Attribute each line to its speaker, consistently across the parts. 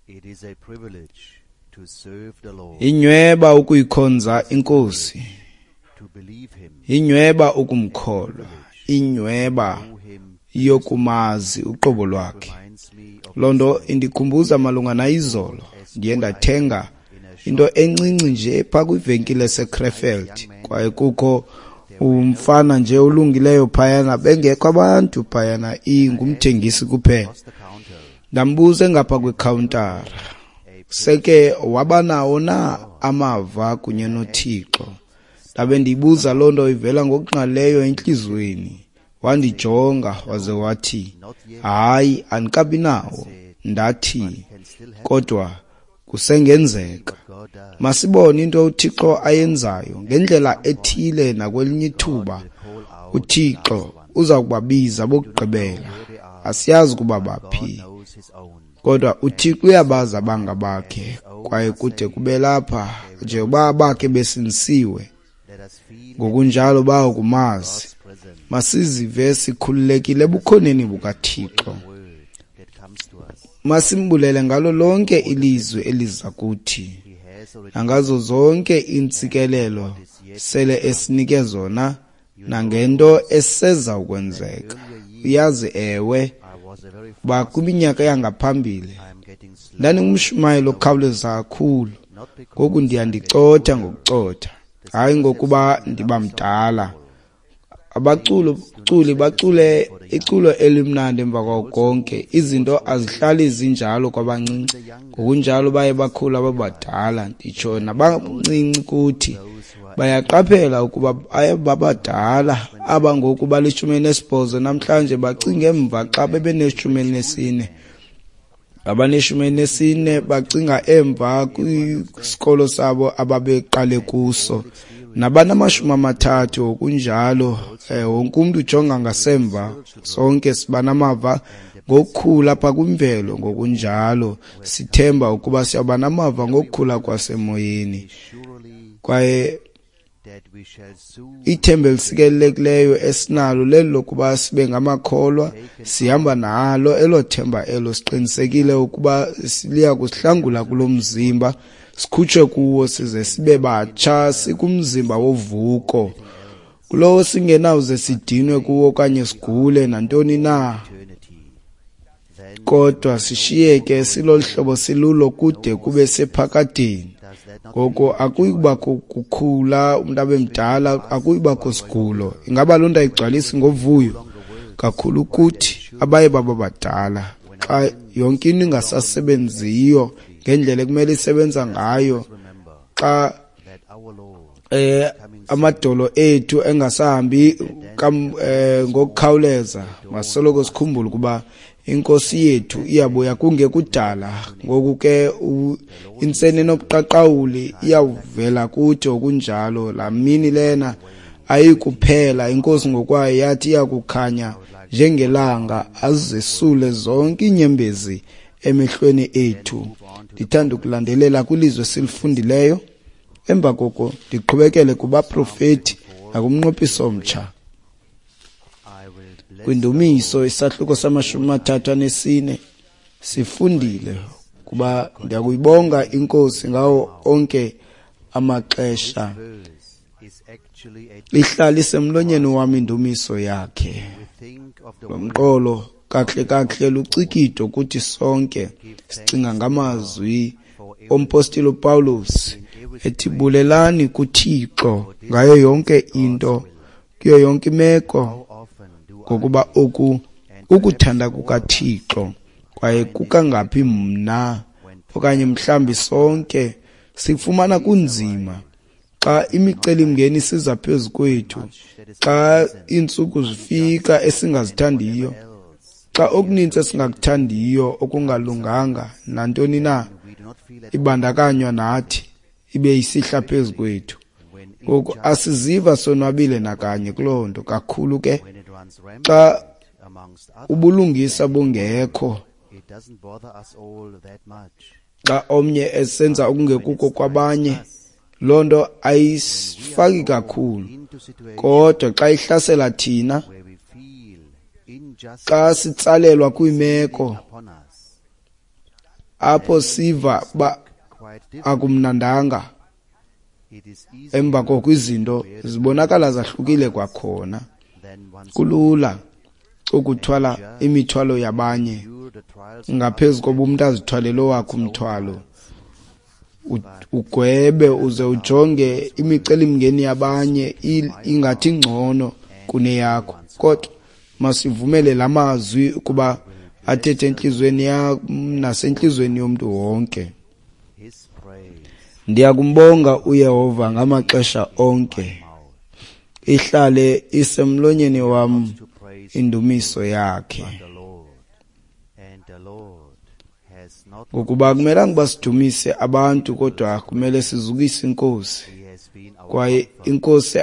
Speaker 1: It is a privilege to serve the Lord,
Speaker 2: Inyweba ukuyikhonza inkosi,
Speaker 1: to believe him,
Speaker 2: inyweba ukumkholwa, inyweba
Speaker 1: know him
Speaker 2: yokumazi uqobo lwakhe.
Speaker 1: reminds me of
Speaker 2: Loo nto indikhumbuza malunga nayizolo. Ndiye ndathenga into encinci nje phaa kwivenkile eseKrefeld, kwaye kukho umfana nje olungileyo phayana, bengekho abantu phayana, ingumthengisi kuphela.
Speaker 1: across the counter
Speaker 2: Ndambuza engapha kwikhawuntara, seke wabanawo na amava kunye noThixo? Ndabe ndiyibuza loo nto ivela ngokungqalileyo entliziyweni. Wandijonga waze wathi, hayi, andikabi nawo. Ndathi,
Speaker 1: can still happen
Speaker 2: kodwa kusengenzeka.
Speaker 1: what God does.
Speaker 2: Masibone into uThixo ayenzayo ngendlela ethile nakwelinye ithuba.
Speaker 1: Call out
Speaker 2: uThixo uza kubabiza bokugqibela. Asiyazi ukuba baphi,
Speaker 1: God knows his own.
Speaker 2: kodwa uThixo uyabazi abangabakhe, kwaye kude kube lapha njengoba abakhe besindisiwe,
Speaker 1: Let us feel
Speaker 2: ngokunjalo bayokumazi.
Speaker 1: God's presence,
Speaker 2: Masizive sikhululekile ebukhoneni bukaThixo.
Speaker 1: word that comes to us.
Speaker 2: Masimbulele ngalo lonke ilizwi eliza kuthi,
Speaker 1: He has already
Speaker 2: nangazo zonke iintsikelelo sele esinike zona, nangento eseza ukwenzeka. Uyazi, ewe,
Speaker 1: I was a very
Speaker 2: uba kwiminyaka yangaphambili
Speaker 1: I am getting slow,
Speaker 2: ndandingumshumayeli okhawuleza kakhulu.
Speaker 1: not because
Speaker 2: Ngoku ndiyandicotha ngokucotha, hayi ngokuba ndiba mdala. Abaculi bacule iculo elimnandi emva kwako konke. Izinto azihlali zinjalo kwabancinci, ngokunjalo baye bakhula babadala. Nditsho nabancinci kuthi bayaqaphela ukuba baye babadala. Aba ngoku bali-18 namhlanje bacinga emva xa bebeneshumi elinesine. Abaneshumi elinesine bacinga emva kwisikolo sabo ababeqale kuso. Nabanamashumi amathathu ngokunjalo, wonke umntu ujonga ngasemva. Sonke siba namava ngokukhula apha kwimvelo, ngokunjalo sithemba ukuba siyawuba namava ngokukhula kwasemoyeni.
Speaker 1: surely
Speaker 2: Kwaye
Speaker 1: that we shall soon
Speaker 2: ithemba elisikelelekileyo esinalo leli lokuba sibe ngamakholwa, sihamba nalo elo themba elo, siqinisekile ukuba liya kusihlangula kulo mzimba, sikhutshwe kuwo size sibe batsha sikumzimba wovuko, kulowo singenawuze sidinwe kuwo okanye sigule nantoni na,
Speaker 1: eternity. Then
Speaker 2: kodwa sishiyeke silolu hlobo silulo kude kube sephakadeni.
Speaker 1: does that not
Speaker 2: Ngoko akuyi kubakho kukhula umntu abe mdala, akuyi kubakho sigulo. Ingaba loo nto ayigcwalisi ngovuyo kakhulu kuthi abaye baba badala, xa yonke into ingasasebenziyo ngendlela ekumele isebenza ngayo,
Speaker 1: remember
Speaker 2: xa
Speaker 1: that our Lord
Speaker 2: amadolo ethu engasahambi ngokukhawuleza, masoloko sikhumbule ukuba inkosi yethu iyabuya kungekudala. Ngoku ke intseni enobuqaqawuli iyawuvela kuthi okunjalo. Laa mini lena ayikuphela, inkosi ngokwayo yathi iyakukhanya njengelanga, azesule zonke iinyembezi emehlweni ethu. Ndithanda ukulandelela kwilizwi esilifundileyo, emva koko ndiqhubekele kubaprofeti nakumnqophiso omtsha.
Speaker 1: I will bless
Speaker 2: Kwindumiso isahluko sama-34 sifundile kuba ndiyakuyibonga inkosi ngawo onke amaxesha.
Speaker 1: verse is actually a
Speaker 2: Ihlala isemlonyeni wam indumiso yakhe.
Speaker 1: we think of the
Speaker 2: Lo mqolo kakuhle kakuhle lucikido kuthi sonke. Sicinga ngamazwi ompostile uPawulos ethi bulelani kuThixo ngayo yonke into, kuyo yonke imeko,
Speaker 1: how often do I
Speaker 2: ngokuba oku ukuthanda kukaThixo. Kwaye kukangaphi mna okanye mhlambi sonke sifumana kunzima xa imicelimngeni isiza phezu kwethu, xa iintsuku zifika esingazithandiyo,
Speaker 1: else
Speaker 2: xa okuninzi esingakuthandiyo okungalunganga nantoni na
Speaker 1: we do not feel at
Speaker 2: ibandakanywa nathi ibe isihla phezu kwethu.
Speaker 1: when
Speaker 2: Ngoku asiziva sonwabile nakanye kuloo nto, kakhulu ke
Speaker 1: when it runs rampant
Speaker 2: xa
Speaker 1: amongst others
Speaker 2: ubulungisa bungekho,
Speaker 1: it doesn't bother us all that much.
Speaker 2: xa omnye esenza okungekuko kwabanye, loo nto ayisifaki kakhulu.
Speaker 1: Into situations
Speaker 2: Kodwa xa ihlasela thina,
Speaker 1: where we feel injustice
Speaker 2: xa sitsalelwa kwiimeko
Speaker 1: upon us,
Speaker 2: Apho siva uba akumnandanga, emva koko izinto zibonakala zahlukile kwakhona. Kulula ukuthwala imithwalo yabanye ngaphezu koba umntu azithwalele owakhe umthwalo. Ugwebe uze ujonge imicelimngeni yabanye ingathi ingcono kuneyakho, kodwa masivumele la mazwi ukuba athethe entliziyweni yam nasentliziyweni yomntu wonke. Ndiyakumbonga uYehova ngamaxesha onke, ihlale isemlonyeni wam indumiso yakhe. Ngokuba akumelanga uba sidumise abantu, kodwa kumele sizukise iNkosi. Kwaye iNkosi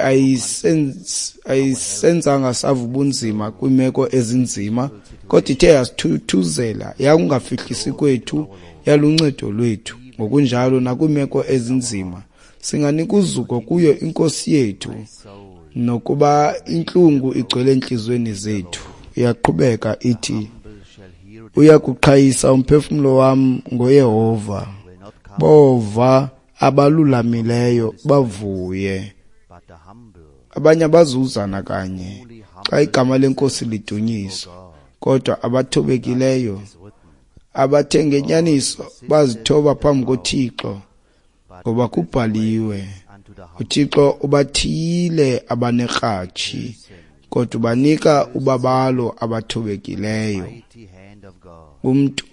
Speaker 2: ayisenzanga sava ubunzima kwiimeko ezinzima, kodwa ithe yasithuthuzela, yakungafihlisi kwethu, yaluncedo lwethu. Ngokunjalo nakwiimeko ezinzima singanika uzuko kuyo iNkosi yethu, nokuba intlungu igcwele entliziyweni zethu. Iyaqhubeka ithi, uyakuqhayisa umphefumlo wam ngoYehova, bova abalulamileyo bavuye. Abanye abazuzana kanye xa igama leNkosi lidunyiswa, kodwa abathobekileyo abathe ngenyaniso bazithoba phambi koThixo, ngoba kubhaliwe, uThixo ubathiyile abanekratshi, kodwa ubanika ubabalo abathobekileyo. Umntu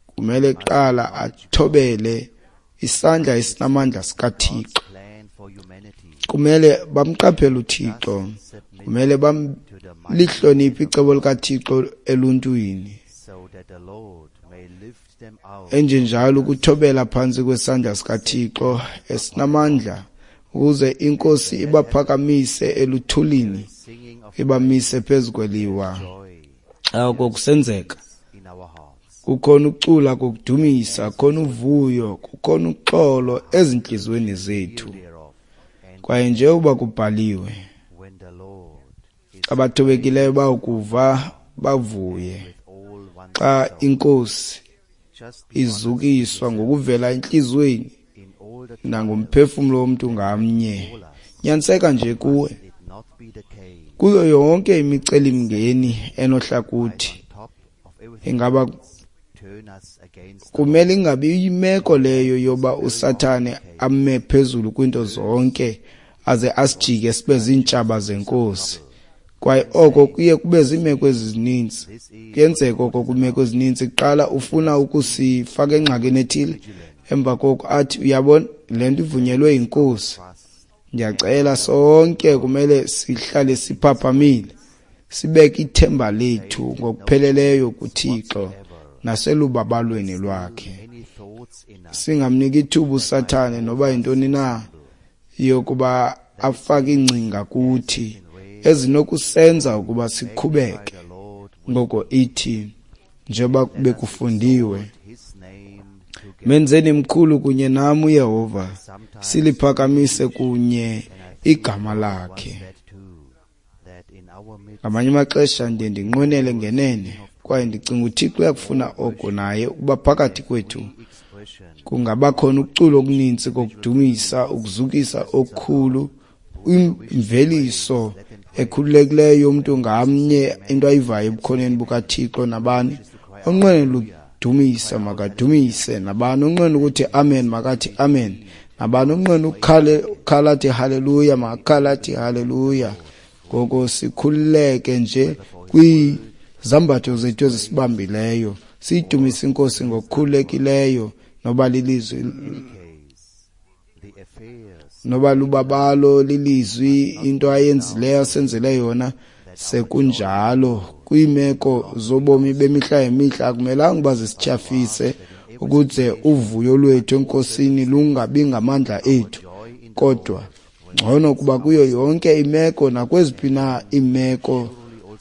Speaker 2: kumele kuqala athobele isandla esinamandla sikaThixo. Kumele bamqaphele uThixo, kumele balihloniphe icebo likaThixo eluntwini. Enjenjalo ukuthobela phantsi kwesandla sikaThixo esinamandla, ukuze iNkosi ibaphakamise eluthulini, ibamise phezu kweliwa. Oko kusenzeka, kukhona ukucula kokudumisa, kukhona uvuyo, kukhona uxolo ezintliziyweni zethu. Kwaye njengoba kubhaliwe, abathobekileyo bawukuva bavuye xa iNkosi izukiswa ngokuvela entliziyweni nangomphefumlo womntu ngamnye. Nyaniseka nje kuwe kuyo yonke imicelimngeni enohla kuthi. Ingaba kumele ingabi imeko leyo yoba uSathane ame phezulu kwinto zonke aze asijike sibe ziintshaba zeNkosi. Kwaye oko kuye kube ziimeko ezininzi. Kuyenzeka oko kwiimeko ezininzi. Kuqala ufuna ukusifaka engxakini ethile, emva koko athi, uyabona, le nto ivunyelwe yiNkosi. Ndiyacela sonke kumele sihlale siphaphamile, sibeke ithemba lethu ngokupheleleyo kuThixo naselubabalweni lwakhe. Singamniki ithuba uSathane noba yintoni na yokuba afake iingcinga kuthi ezinokusenza ukuba sikhubeke. Ngoko ithi, njengoba bekufundiwe, menzeni mkhulu kunye nam uYehova, siliphakamise kunye igama lakhe. Ngamanye amaxesha ndiye ndinqwenele ngenene, kwaye ndicinga uThixo uyakufuna oko naye ukuba phakathi kwethu kungabakhona ukucula okuninzi kokudumisa, ukuzukisa okukhulu, imveliso ekhululekileyo yomntu ngamnye, into ayivayo ebukhoneni bukaThixo. Nabani onqwenela ukudumisa makadumise, nabani onqwenela ukuthi amen makathi amen, nabani onqwenela ukukhala athi haleluya makakhala athi haleluya. Ngoko sikhululeke nje kwizambatho zethu ezisibambileyo, siyidumise iNkosi ngokukhululekileyo, noba lilizwi, noba lubabalo, lilizwi, into ayenzileyo, asenzele yona. Sekunjalo kwiimeko zobomi bemihla ngemihla akumelanga uba zisityhafise ukuze uvuyo lwethu eNkosini lungabi ngamandla ethu, kodwa ngcono kuba kuyo yonke imeko nakweziphi na iimeko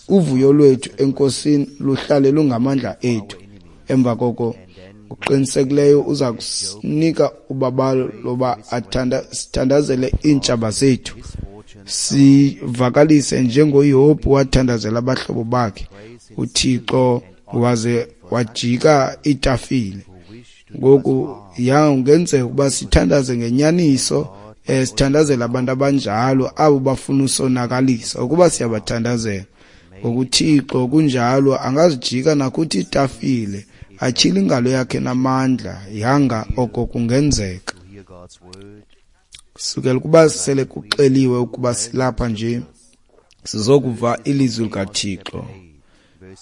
Speaker 2: uvuyo lwethu eNkosini luhlale lungamandla ethu. Emva koko ngokuqinisekileyo uza kusinika ubabalo loba sithandazele iintshaba zethu, sivakalise njengoYobhi wathandazela abahlobo bakhe, uThixo waze wajika itafile. Ngoku yangenzeka ukuba sithandaze ngenyaniso, sithandazela abantu abanjalo abo bafuna usonakalisa. Ukuba siyabathandazela ngokuThixo kunjalo, angazijika nakuthi itafile atyhile ingalo yakhe namandla. Yanga oko kungenzeka. Sukela ukuba sele kuxeliwe ukuba silapha nje sizokuva ilizwi likaThixo.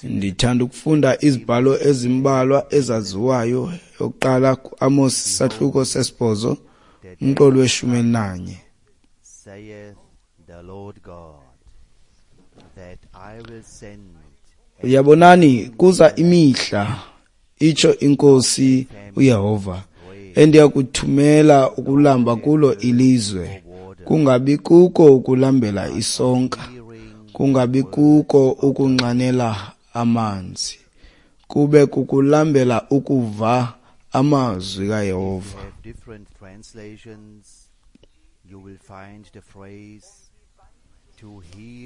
Speaker 2: Ndithanda ukufunda izibhalo ezimbalwa ezaziwayo. Yokuqala kuAmos isahluko 8 umqolo we-11. Uyabonani, kuza imihla, itsho iNkosi uYehova, endiyakuthumela ukulamba kulo ilizwe, kungabi kuko ukulambela isonka, kungabi kuko ukunxanela amanzi, kube kukulambela ukuva amazwi kaYehova.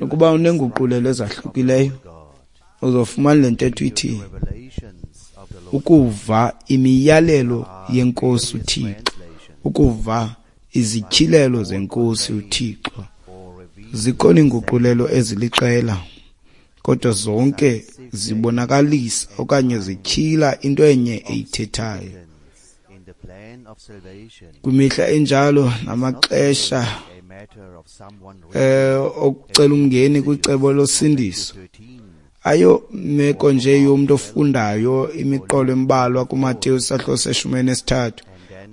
Speaker 2: Ukuba unenguqulelo ezahlukileyo, uzofumana le ntetho ithi ukuva imiyalelo yeNkosi uThixo, ukuva izityhilelo zeNkosi uThixo. Zikhona iinguqulelo eziliqela, kodwa zonke zibonakalisa okanye zityhila into enye eyithethayo. Kwimihla enjalo namaxesha okucela umngeni kwicebo losindiso, ayo meko nje yomntu ofundayo imiqolo embalwa kuMateyu isahluko se-13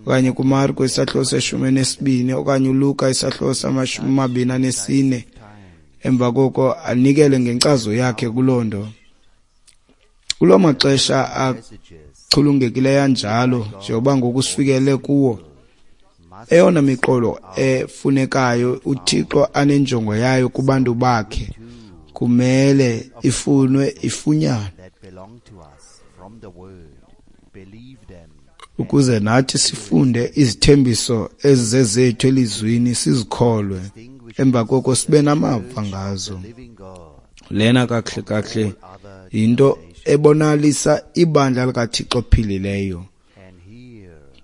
Speaker 2: okanye kuMarko isahluko se-12 okanye uLuka isahluko sama-24, emva koko anikele ngenkcazo yakhe kuloo nto. Kuloo maxesha achulungekileyo anjalo, njengoba ngoku sifikele kuwo, eyona miqolo efunekayo uThixo anenjongo yayo kubantu bakhe kumele ifunwe ifunyanwe, ukuze nathi sifunde izithembiso ezizezethu elizwini, sizikholwe, emva koko sibe namava ngazo. Lena kakuhle kakuhle yinto ebonalisa ibandla likaThixo ophilileyo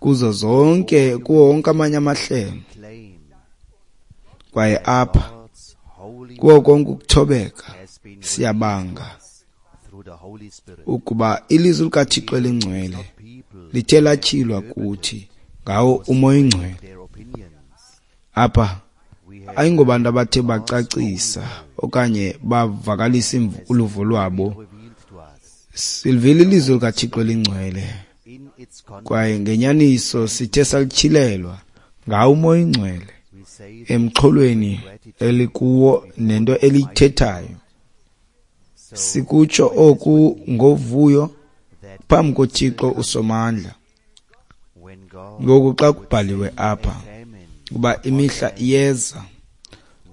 Speaker 2: kuzo zonke, kuwo wonke amanye amahlelo. Kwaye apha kuwo konke ukuthobeka siyabanga ukuba ilizwi likaThixo elingcwele lithe latyhilwa kuthi ngawo uMoya oNgcwele. Apha ayingobantu abathe bacacisa okanye bavakalisa uluvo lwabo. Silivile ilizwi likaThixo elingcwele, kwaye ngenyaniso sithe salityhilelwa ngawo uMoya oNgcwele emxholweni elikuwo nento eliyithethayo. Sikutsho oku ngovuyo phambi koThixo uSomandla. Ngoku xa kubhaliwe apha kuba imihla iyeza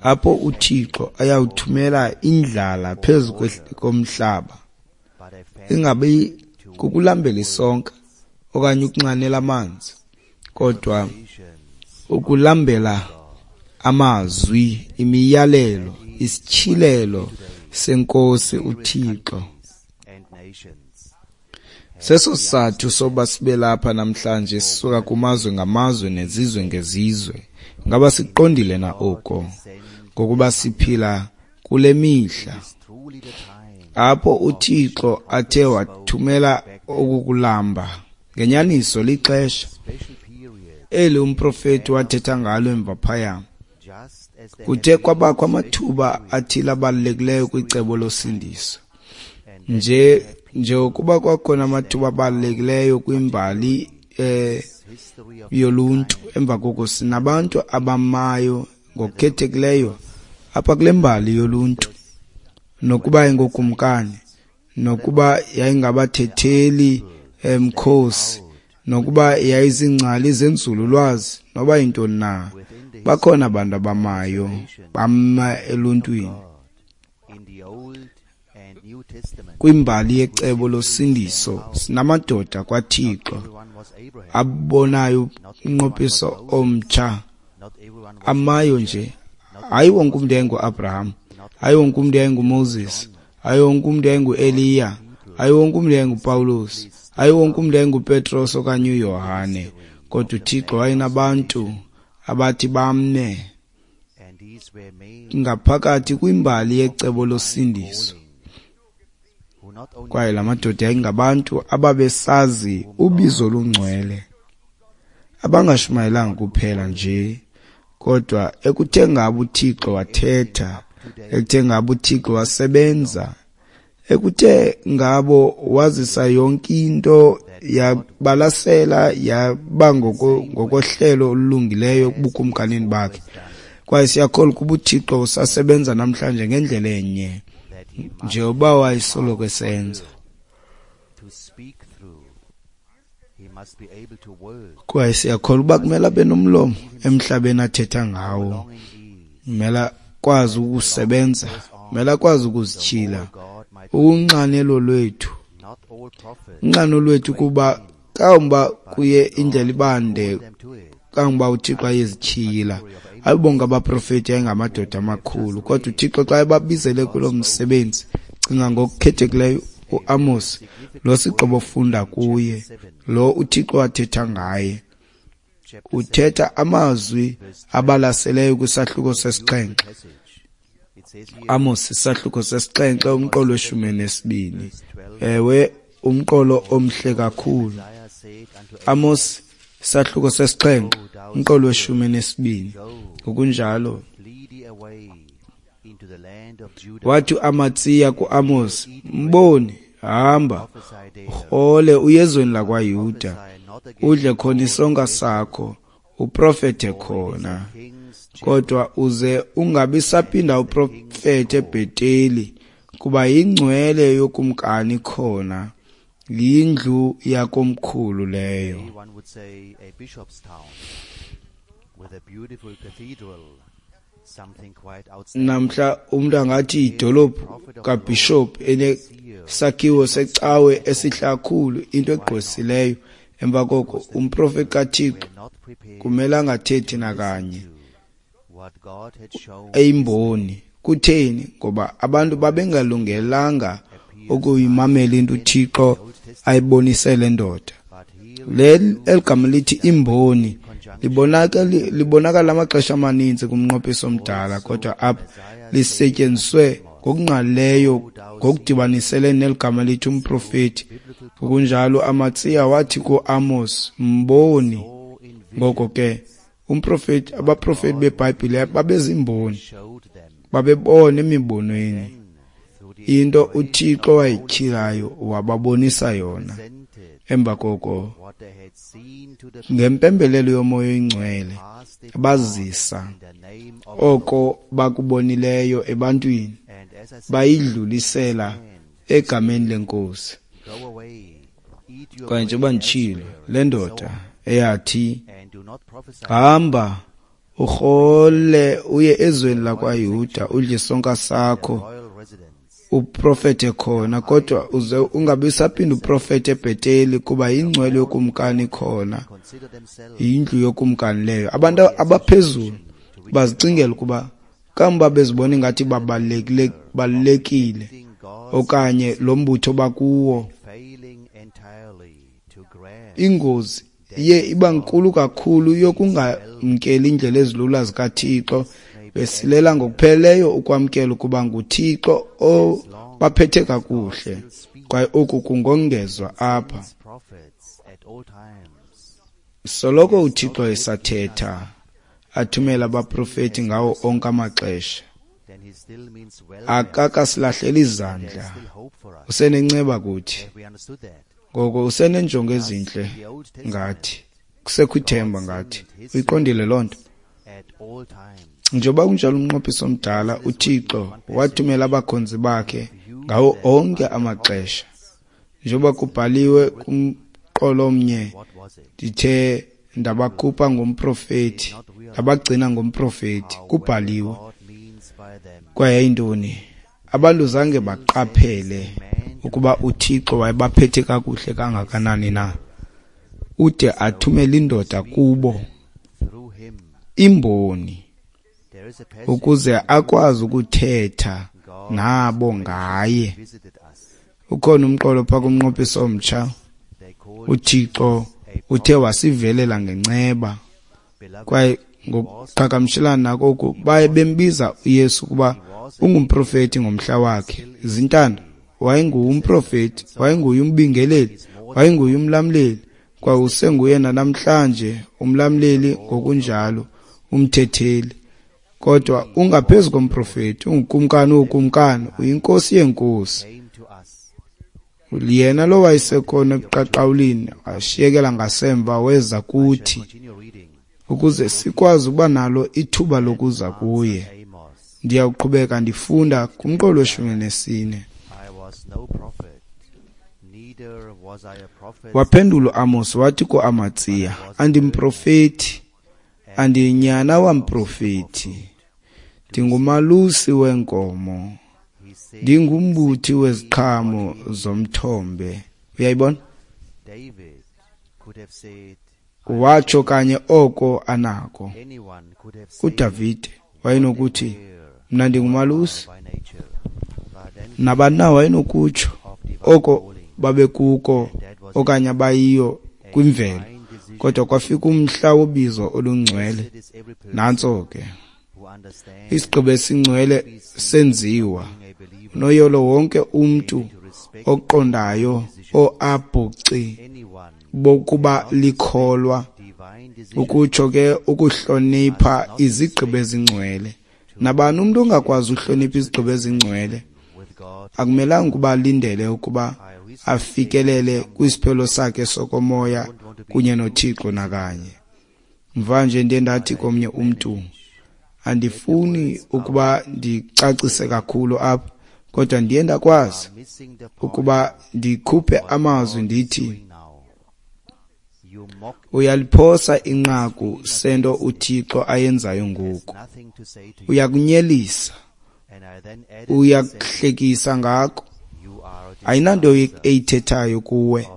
Speaker 2: apho uThixo ayawuthumela indlala phezu komhlaba, ingabi kukulambela isonka okanye ukunxanela amanzi, kodwa ukulambela amazwi, imiyalelo, isityhilelo seNkosi uThixo. Seso sizathu soba sibe lapha namhlanje, sisuka kumazwe ngamazwe nezizwe ngezizwe. Ngaba siqondile na oko? Ngokuba siphila kule mihla apho uThixo athe wathumela okukulamba. Ngenyaniso lixesha eli umprofeti wathetha ngalo emva phaya. Kuthe kwabakho amathuba athile abalulekileyo kwicebo losindiso, nje njengokuba kwakhona amathuba abalulekileyo kwimbali yoluntu. Emva koko sinabantu abamayo ngokukhethekileyo apha kule mbali yoluntu, nokuba ingokumkani, nokuba yayingabathetheli emkhosi, nokuba yayizingcali zenzululwazi, noba yintoni na, bakhona abantu abamayo bama eluntwini Kwimbali yecebo losindiso sinamadoda kwaThixo abonayo umnqophiso omtsha, amayo nje. Hayi wonke umntu yayinguAbraham, hayi wonke umntu yayinguMoses, hayi wonke umntu yayinguEliya, hayi wonke umntu yayinguPawulos, Hayi wonke umntu yayinguPetros okanye uYohane, kodwa uThixo wayenabantu abathi bame ngaphakathi kwimbali yecebo losindiso. Kwaye la madoda yayingabantu ababesazi ubizo olungcwele, abangashumayelanga kuphela nje, kodwa ekuthe ngabo uThixo wathetha, ekuthe ngabo uThixo wasebenza, ekuthe ngabo wazisa yonke into yabalasela yaba ngokohlelo olulungileyo ebukumkanini bakhe. Kwaye siyakholwa ukuba uThixo usasebenza namhlanje ngendlela enye njengoba wayesoloko esenza. Kwaye siyakholwa uba kumele abe nomlomo emhlabeni athetha ngawo, kumele akwazi ukusebenza, kumele akwazi ukuzityhila. Unxanelo lwethu, unxano lwethu kuba kangoba kuye indlela ibande, kangoba uThixo ayezityhila. Hayi bonke abaprofeti yayingamadoda amakhulu, kodwa uThixo xa ebabizele kulo msebenzi, cinga ngokukhethekileyo uAmos, lo sigqibo funda kuye, lo uThixo wathetha ngaye. Uthetha amazwi abalaseleyo kwisahluko sesixhenxe. Amos isahluko sesixhenxe umqolo weshumi nesibini. Ewe, umqolo omhle kakhulu. Amos isahluko sesixhenxe umqolo weshumi nesibini. Ngokunjalo wathi uAmatsiya kuAmos, mboni, hamba urhole uye ezweni lakwaYuda, udle khona isonka sakho, uprofethe khona, kodwa uze ungabi saphinda uprofethe eBheteli, kuba yingcwele yokumkani khona, yindlu yakomkhulu leyo. Namhla umntu angathi yidolophu kabhishophu enesakhiwo secawe esihle kakhulu, into egqwesileyo. Emva koko umprofeti kaThixo kumele angathethi nakanye, eyimboni. Kutheni? Ngoba abantu babengalungelanga ukuyimamela into uThixo ayibonise le ndoda. Le eligama lithi imboni libonakala amaxesha amaninzi kumnqophiso omdala, kodwa apha lisetyenziswe ngokungqalileyo ngokudibanisele neligama lithi umprofeti. Ngokunjalo Amatsiya wathi kuAmos, mboni. Ngoko ke umprofeti, abaprofeti beBhayibhile babezimboni, babebona emibonweni into uThixo wayityhilayo wababonisa yona. Emva koko ngempembelelo yoMoya oyiNgcwele bazisa oko bakubonileyo ebantwini, bayidlulisela egameni leNkosi. Kwaye njengoba nditshilo, le ndoda eyathi hamba urhole uye ezweni lakwaYuda, udle isonka sakho, uprofethe khona, kodwa uze ungabi saphinda uprofethe eBheteli, kuba yingcwele yokumkani khona, yindlu yokumkani leyo. Abantu abaphezulu bazicingela ukuba kamva bezibona ingathi babalulekile okanye lo mbutho bakuwo. Ingozi iye iba nkulu kakhulu yokungamkeli indlela ezilula zikaThixo, besilela ngokupheleleyo ukwamkela ukuba nguThixo obaphethe kakuhle. Kwaye oku kungongezwa apha. Soloko uThixo esathetha, athumela abaprofeti ngawo onke amaxesha. Akakasilahleli izandla, usenenceba kuthi. Ngoko usenenjongo ezintle ngathi, kusekho ithemba ngathi. Uyiqondile loo nto? Njengoba kunjalo umnqophiso omdala, uThixo wathumela abakhonzi bakhe ngawo onke amaxesha. Njengoba kubhaliwe kumqolo omnye, ndithe ndabakhupha ngomprofeti, ndabagcina ngomprofeti, kubhaliwe. Kwaye yayintoni? Abantu zange baqaphele ukuba uThixo wayebaphethe kakuhle kangakanani na, ude athumele indoda kubo, imboni, ukuze akwazi ukuthetha nabo ngaye. Ukhona umqolo phaa kumnqophiso omtsha. uThixo uthe wasivelela ngenceba. Kwaye ngokuqhagamshelana nako oku, baye bembiza uYesu ukuba ungumprofeti ngomhla wakhe. Zintanda, wayengumprofeti, wayenguye umbingeleli, wayenguye umlamleli, kwaye usenguye nanamhlanje umlamleli ngokunjalo, umthetheli. Kodwa ungaphezu komprofeti, ungukumkani wookumkani, uyinkosi yeenkosi. Yena lo wayesekhona ebuqaqawulini, ashiyekela ngasemva weza kuthi, ukuze sikwazi ukuba nalo ithuba lokuza kuye. Ndiyawuqhubeka ndifunda kumqolo weshumi nesine. Waphendula uAmos wathi kuAmatsiya, andimprofeti, andinyana wamprofeti, ndingumalusi weenkomo, ndingumbuthi weziqhamo zomthombe. Uyayibona? Watsho kanye oko anako. UDavide wayenokuthi, mna ndingumalusi. Nabani na wayenokutsho oko babekuko okanye abayiyo kwimvelo. Kodwa kwafika umhla wobizo olungcwele. Nantso ke. Isigqibo esingcwele senziwa. Unoyolo wonke umntu oqondayo oabhuci bokuba likholwa, ukutsho ke ukuhlonipha izigqibo ezingcwele. Nabani umntu ongakwazi uhlonipha izigqibo ezingcwele akumelanga ukuba alindele ukuba afikelele kwisiphelo sakhe sokomoya kunye noThixo nakanye. Mvanje ndiye ndathi komnye umntu, andifuni ukuba ndicacise kakhulu apha, kodwa ndiye ndakwazi ukuba ndikhuphe amazwi ndithi, uyaliphosa inqaku sento uThixo ayenzayo ngoku. Uyakunyelisa, uyakuhlekisa ngako, ayinanto eyithethayo kuwe.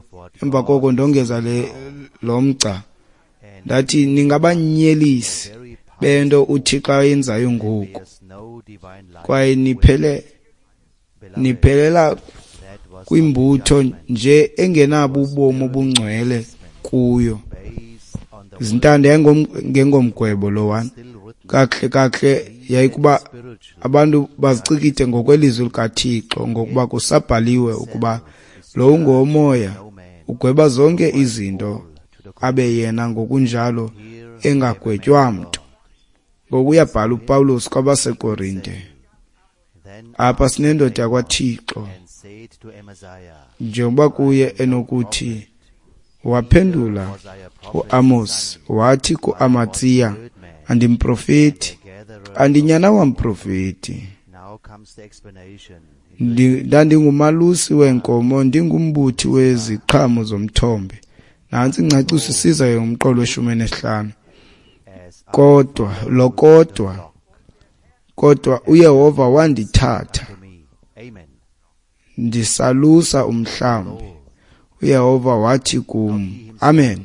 Speaker 2: Emva koko ndongeza lo mgca ndathi, ningabanyelisi bento uThixo ayenzayo ngoku, kwaye niphelela kwimbutho nje engenabo ubomi obungcwele kuyo. Zintanda yayingengomgwebo lowana. Kakuhle kakuhle yayikuba abantu bazicikide ngokwelizwi likaThixo, ngokuba kusabhaliwe ukuba lo ungowomoya ugweba zonke izinto, abe yena ngokunjalo engagwetywa mntu. Ngoku uyabhala uPawulos kwabaseKorinte. Apha sinendoda yakwaThixo, njengoba kuye enokuthi. Waphendula uAmos wathi kuAmatsiya, andimprofeti, andinyana wamprofeti. Ndandingumalusi weenkomo, ndingumbuthi weziqhamo zomthombe. Nantsi ingcaciso isiza yomqolo weshumi nesihlanu. Kodwa uYehova wandithatha ndisalusa umhlambi. uYehova wathi kum, amen.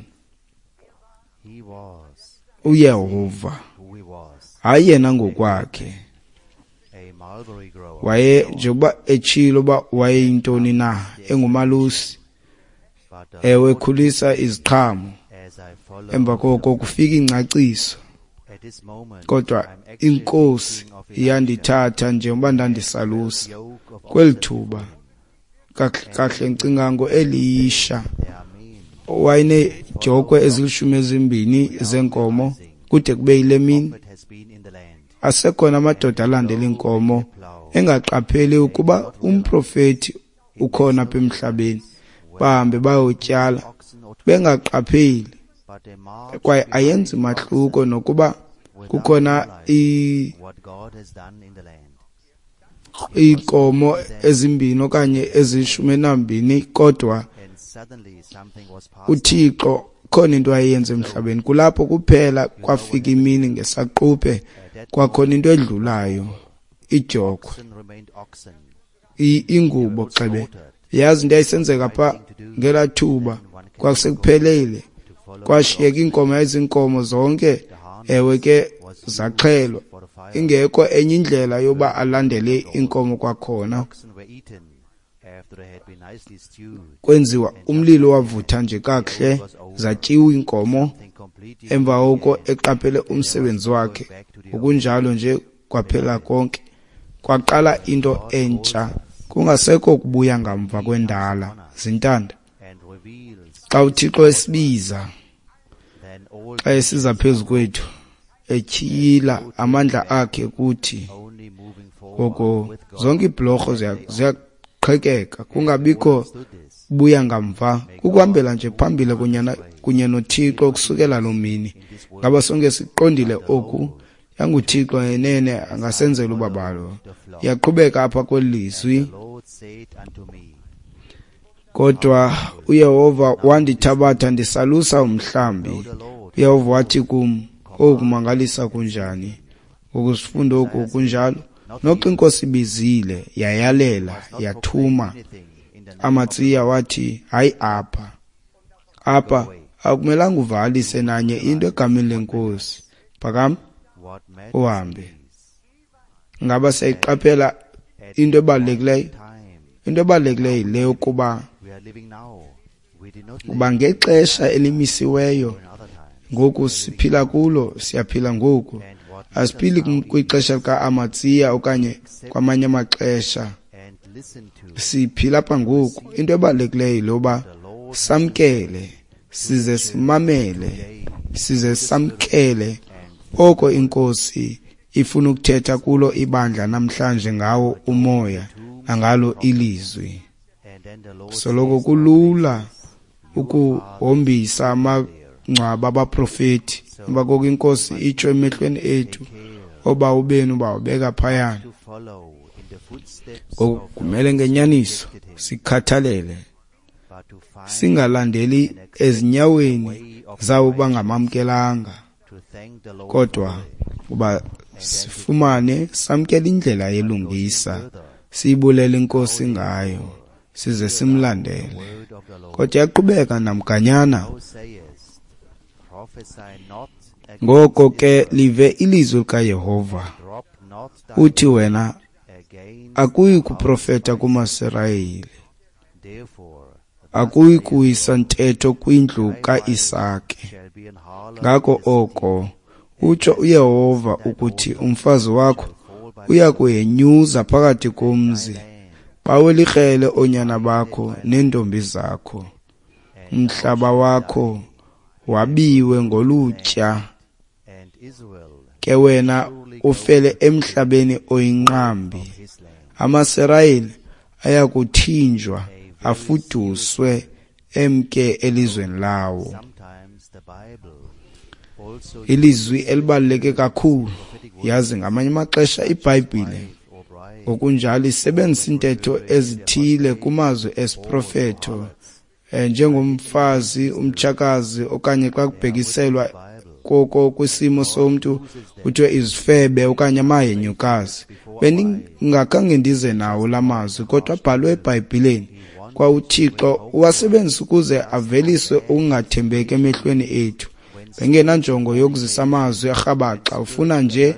Speaker 2: uYehova, hayi yena ngokwakhe, waye njengoba etshilo uba wayeyintoni na, engumalusi, ewe, ekhulisa iziqhamo. Emva koko kufika ingcaciso, kodwa inkosi iyandithatha njengoba ndandisalusa kweli thuba. Kahle ndicinga ngoElisha, wayeneedyokhwe ezilishumi ezimbini zeenkomo kude kube yile mini. Asekhona amadoda alandela iinkomo engaqapheli ukuba umprofeti ukhona apha emhlabeni, bahambe bayotyala bengaqapheli, kwaye ayenzi mahluko nokuba kukhona iinkomo ezimbini okanye ezishumi nambini, kodwa uThixo khona into ayenze emhlabeni. Kulapho kuphela kwafika imini ngesaquphe kwakhona into edlulayo, idyokhwe, ingubo xebe. Yazi into yayisenzeka pha ngelaa thuba, kwasekuphelele, kwashiyeka iinkomo, yayiziinkomo zonke, ewe ke zaxhelwa, ingekho enye indlela yoba alandele inkomo kwakhona. Kwenziwa umlilo wavutha nje kakuhle, zatyiwa iinkomo. Emva koko eqaphele umsebenzi wakhe, ngokunjalo nje kwaphela konke. Kwaqala into entsha, kungasekho kubuya ngamva kwendala. Zintanda, xa uThixo esibiza, xa esiza phezu kwethu, etyhila amandla akhe kuthi, ngoko zonke iibhlorho ziyaqhekeka, kungabikho buya ngamva, kukuhambela nje phambili kunye noThixo ukusukela loo mini. Ngaba sonke siqondile oku? YanguThixo enene angasenzela ubabalo. Iyaqhubeka apha kweli lizwi. Kodwa uYehova wandithabatha ndisalusa umhlambi. UYehova wathi kum, oku kumangalisa kunjani! Ngoku sifunda oku kunjalo. Noxa iNkosi ibizile, yayalela, yathuma, Amatsiya wathi, hayi apha. Apha akumelanga uvakalise nanye into egameni leNkosi. Phakama uhambe. Ngaba siyayiqaphela into ebalulekileyo? Into ebalulekileyo yile yokuba kuba ngexesha elimisiweyo ngoku siphila kulo, siyaphila ngoku. Asiphili kwixesha lika-Amatsiya okanye kwamanye amaxesha. Siphila apha ngoku. Into ebalulekileyo yile yoba samkele, size simamele, size samkele oko iNkosi ifuna ukuthetha kulo ibandla namhlanje ngawo umoya nangalo ilizwi. Soloko kulula ukuhombisa amangcwaba abaprofeti. Emva koko iNkosi itsho emehlweni ethu, obawo benu bawubeka phayana. Ngoku kumele ngenyaniso sikhathalele, singalandeli ezinyaweni zabo bangamamkelanga, kodwa uba sifumane samkele indlela yelungisa, siyibulele iNkosi ngayo, size simlandele. Kodwa yaqhubeka namganyana. Ngoko ke live ilizwi likaYehova, uthi wena akuyi kuprofeta kumaSirayeli, akuyi kuyisa ntetho kwindlu kaIsake. Ngako oko utsho uYehova ukuthi umfazi wakho uya kuhenyuza phakathi komzi, bawele ikrele oonyana bakho neentombi zakho. Umhlaba wakho wabiwe ngolutya, ke wena ufele emhlabeni oyinqambi. AmaSirayeli ayakuthinjwa, afuduswe emke elizweni lawo. Ilizwi elibaluleke kakhulu. Yazi ngamanye amaxesha iBhayibhile ngokunjalo isebenzisa iintetho ezithile kumazwi esiprofeto, njengomfazi, umtshakazi, okanye xa kubhekiselwa koko kwisimo somntu kuthiwe izifebe okanye amahenyukazi. Bendingakhange ndize nawo la mazwi, kodwa abhalwe eBhayibhileni. Kwa uThixo uwasebenzisa ukuze avelise ukungathembeki emehlweni ethu. Bengenanjongo yokuzisa amazwi arhabaxa, ufuna nje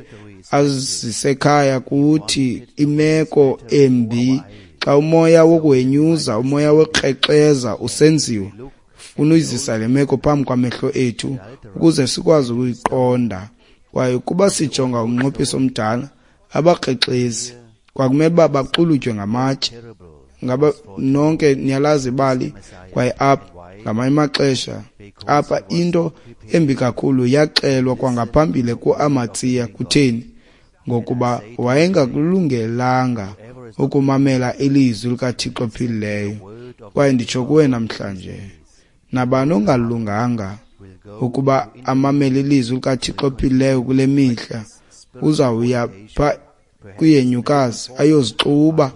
Speaker 2: azisekhaya kuthi imeko embi. Xa umoya wokuhenyuza, umoya wokukrexeza usenziwa, ufuna uyizisa le meko phambi kwamehlo ethu ukuze sikwazi ukuyiqonda. Kwaye ukuba sijonga umnqophiso omdala, abakrexezi kwakumele uba baxulutywe ngamatye. Ngaba nonke niyalazi ibali? Kwaye apha ngamanye amaxesha apha into embi kakhulu yaxelwa kwangaphambili kuAmatsiya. Kutheni? Ngokuba wayengakulungelanga ukumamela ilizwi likaThixo ophilileyo. Kwaye nditsho kuwe namhlanje, nabani ongalunganga ukuba amamele ilizwi likaThixo ophilileyo kule mihla, uzawuya pha kwihenyukazi ayozixuba,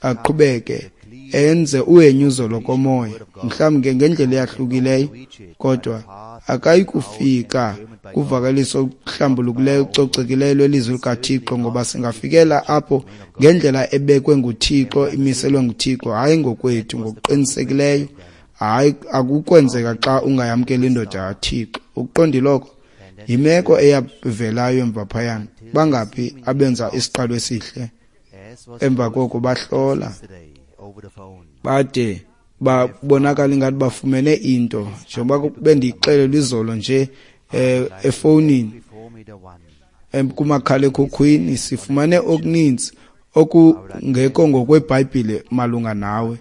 Speaker 2: aqhubeke enze uhenyuzo lokomoya, mhlawumbi ke ngendlela eyahlukileyo, kodwa akayi kufika kuvakaliso oluhlambulukileyo, olucocekileyo lwelizwi likaThixo, ngoba singafikela apho ngendlela ebekwe nguThixo, imiselwe nguThixo, hayi ngokwethu. Ngokuqinisekileyo hayi, akukwenzeka xa ungayamkeli indoda kaThixo. Ukuqondile oko? Yimeko eyavelayo emva phayana. Bangaphi abenza isiqalo esihle emva koko bahlola? Bade babonakala ingathi bafumene into, njengoba bendiyixelele izolo nje efowunini, kumakhalekhukhwini, sifumane okuninzi okungekho ngokweBhayibhile malunga nawe.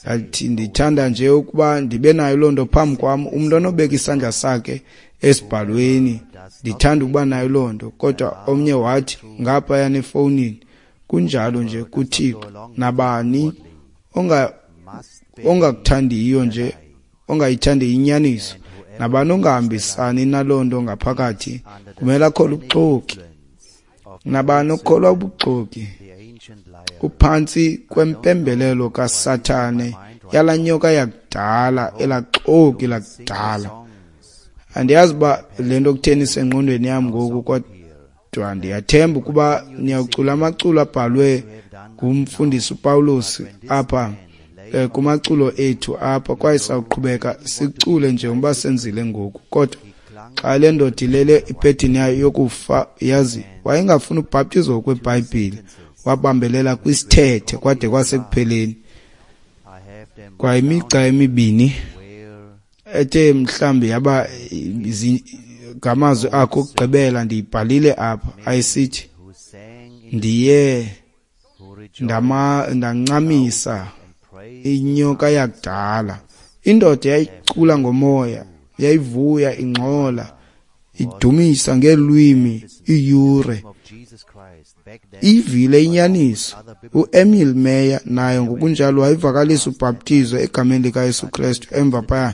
Speaker 2: Ndathi ndithanda nje ukuba ndibe nayo loo nto phambi kwam, umntu onobeka isandla sakhe esibhalweni, ndithanda ukuba nayo loo nto. Kodwa omnye wathi ngaphayana efowunini, kunjalo nje kuThixo, nabani ongakuthandiyo nje, ongayithandiyo inyaniso, nabani ongahambisani naloo nto ngaphakathi, kumele akholwe ubuxoki. Nabani okholwa ubuxoki uphantsi kwempembelelo kaSathane, yalaa nyoka yakudala, elaa xoki lakudala. Andiyazi uba le nto kutheni isengqondweni yam ngoku, kodwa ndiyathemba ukuba niyawucula amaculo abhalwe ngumfundisi uPawulos apha kumaculo ethu apha, kwaye sawuqhubeka sicule njengoba senzile ngoku. Kodwa xa le ndoda ilele ibhedini yayo yokufa, yazi wayengafuni ubhaptizo ngokweBhayibhile, wabambelela kwisithethe kwade kwasekupheleni. Kwa imigca emibini ethe mhlambi yaba ngamazwi akho okugqibela ndiyibhalile apha, ayisithi ndiye ndancamisa inyoka yakudala. Indoda yayicula ngomoya, yayivuya, ingxola, idumisa ngeelwimi iiyure. Ivile inyaniso. UEmil Meyer naye ngokunjalo wayevakalisa ubhaptizo egameni likaYesu Kristu emva phaya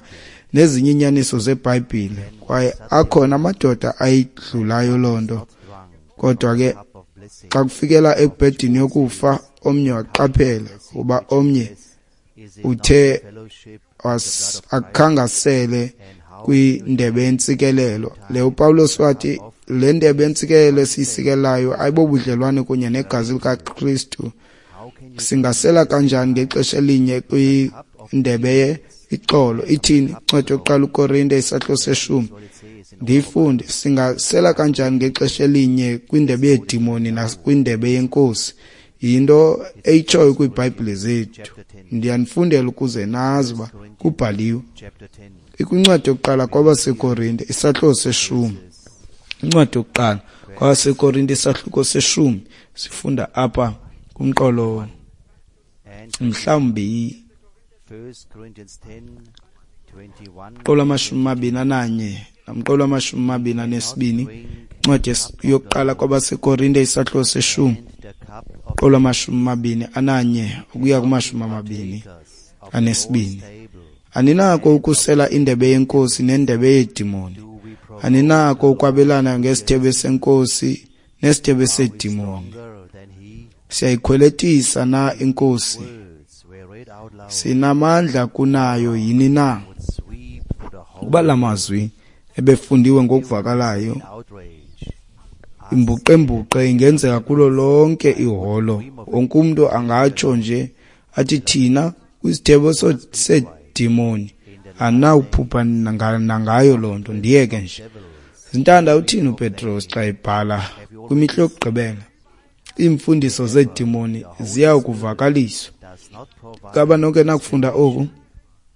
Speaker 2: nezinye iinyaniso zeBhayibhile, kwaye akhona amadoda ayidlulayo loo nto. Kodwa ke xa kufikela ekubhedini yokufa, omnye waqaphela ukuba omnye uthe akhangasele kwindebe yentsikelelo. Le uPawulos wathi le ndebe yentsikelelo esiyisikelayo ayibobudlelwane kunye negazi likaKristu. Singasela kanjani ngexesha elinye kwindebe ixolo? Ithini incwadi yokuqala uKorinte isahluko seshumi? Ndiyifunde. Singasela kanjani ngexesha elinye kwindebe yeedimoni nakwindebe yenkosi? Yinto eyitshoyo kwiiBhayibhile zethu. Ndiyanifundela ukuze nazi uba kubhaliwe. Ikwincwadi yokuqala kwabaseKorinte isahluko seshumi. Incwadi yokuqala kwabaseKorinte isahluko seshumi, sifunda apha kumqolo mhlawumbi mqolo 21 namqolo 22. Incwadi yokuqala kwabaseKorinte isahluko seshumi, mqolo 21 ukuya kuma-22. Aninako ukusela indebe yenkosi nendebe yeedimoni. Aninako ukwabelana ngesithebe senkosi nesithebe seedimoni. Siyayikhweletisa na inkosi? Sinamandla kunayo yini na? Ukuba la mazwi ebefundiwe ngokuvakalayo, imbuqembuqe ingenzeka kulo lonke iholo. Wonke umntu angatsho nje athi thina kwisithebe seedimoni anawuphupha nangayo loo nto. Ndiyeke nje. Zintanda, uthini uPetros xa ebhala kwimihla yokugqibela? Iimfundiso zeedimoni ziya kuvakaliswa. Ngaba nonke nakufunda oku?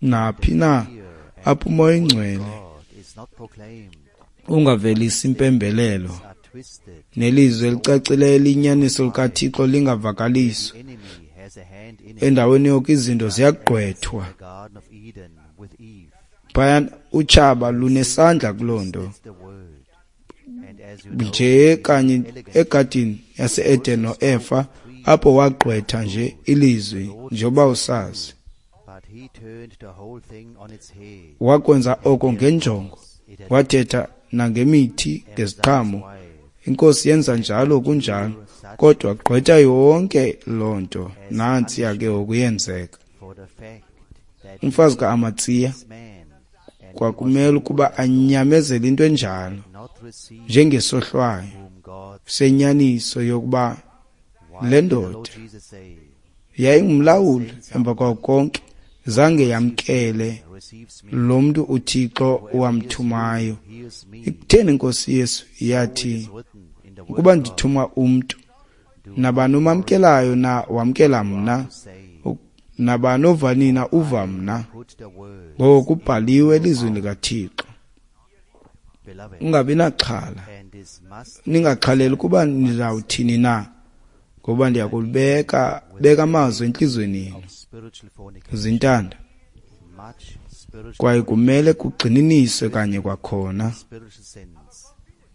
Speaker 2: Naphi na apho uMoya oyiNgcwele ungavelisi impembelelo nelizwi elicacileyo eliyinyaniso likaThixo lingavakaliswa, endaweni yoko izinto ziyagqwethwa. Phayana utshaba lunesandla kuloo nto. Nje kanye egadini yase-Eden noEfa, apho wagqwetha nje ilizwi njengoba usazi. Wakwenza oko ngenjongo, wathetha nangemithi ngeziqhamo. Inkosi yenza njalo kunjalo, kodwa gqwetha yonke loo nto. Nantsi yake okuyenzeka. Umfazi ka-Amatsiya kwakumele ukuba anyamezele into enjalo njengesohlwayo senyaniso yokuba le ndoda yayingumlawuli emva kwako konke, zange yamkele lo mntu uThixo wamthumayo. Ikutheni inkosi Yesu yathi ukuba ndithuma umntu, nabani umamkelayo na wamkela mna, Nabani ova nina uva mna.
Speaker 1: Put the words
Speaker 2: Ngoko kubhaliwe elizwini likaThixo.
Speaker 1: beloved,
Speaker 2: Ungabi naxhala.
Speaker 1: and this must
Speaker 2: Ningaxhaleli ukuba nizawuthini na, ngoba ndiyakulibeka beka amazwi entliziyweni yenu.
Speaker 1: of spiritual fornication,
Speaker 2: Zintanda.
Speaker 1: much spiritual
Speaker 2: Kwaye kumele kugxininiswe kanye kwakhona.
Speaker 1: spiritual sins.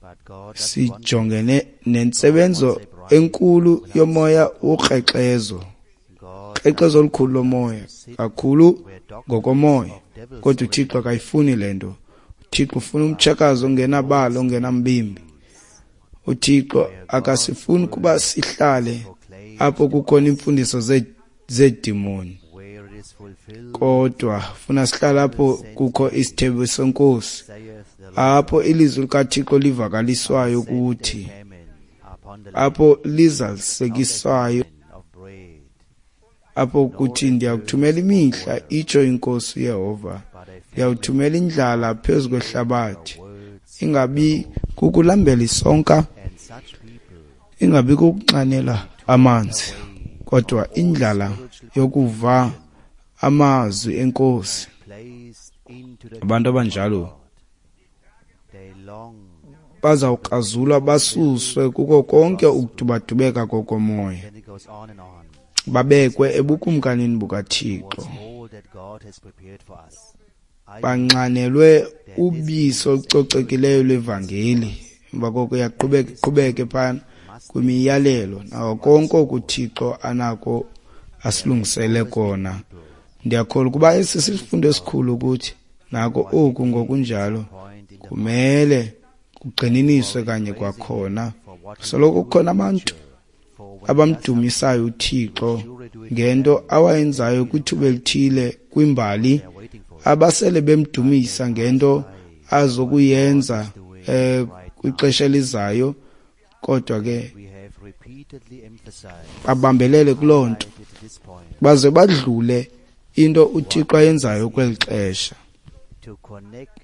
Speaker 1: But God doesn't want
Speaker 2: Sijongene nentsebenzo enkulu yomoya wokrexezo,
Speaker 1: God
Speaker 2: krexezo olukhulu lomoya, kakhulu ngokomoya. Kodwa uThixo akayifuni le nto. uThixo ufuna umtshakazi ongenabala, ongenambimbi. uThixo akasifuni ukuba sihlale apho kukhona iimfundiso zeedimoni,
Speaker 1: where it is fulfilled,
Speaker 2: kodwa funa sihlale apho kukho isithembiso senkosi,
Speaker 1: saith the Lord,
Speaker 2: apho ilizwi likaThixo livakaliswayo kuthi,
Speaker 1: famine upon the
Speaker 2: apho lizalisekiswayo,
Speaker 1: land of bread,
Speaker 2: apho kuthi ndiyakuthumela imihla, itsho inkosi uYehova,
Speaker 1: but a
Speaker 2: ndiyawuthumela indlala phezu kwehlabathi,
Speaker 1: words
Speaker 2: ingabi kukulambela isonka,
Speaker 1: and such people
Speaker 2: ingabi kukunxanela amanzi, kodwa indlala yokuva amazwi enkosi.
Speaker 1: placed into the
Speaker 2: Abantu abanjalo
Speaker 1: they long
Speaker 2: bazawukrazulwa basuswe kuko konke ukudubadubeka kokomoya,
Speaker 1: then it goes on and on
Speaker 2: babekwe ebukumkanini bukaThixo,
Speaker 1: towards all that God has prepared for us. I
Speaker 2: banxanelwe ubisi olucocekileyo lwevangeli. Emva koko iyaqhubeka iqhubeke phana kwimiyalelo nako konke okuThixo anako asilungisele kona. Ndiyakholwa ukuba esi sisifundo esikhulu ukuthi nako oku ngokunjalo
Speaker 1: point in the
Speaker 2: kumele kugxininiswe kanye kwakhona. Soloko kukhona abantu
Speaker 1: for when
Speaker 2: abamdumisayo uThixo ngento awayenzayo kwithuba elithile kwimbali,
Speaker 1: they are waiting for
Speaker 2: abasele bemdumisa ngento azokuyenza kwixesha elizayo, kodwa ke
Speaker 1: we have repeatedly emphasized
Speaker 2: babambelele kuloo nto
Speaker 1: at this point
Speaker 2: baze badlule into uThixo ayenzayo kweli xesha.
Speaker 1: to connect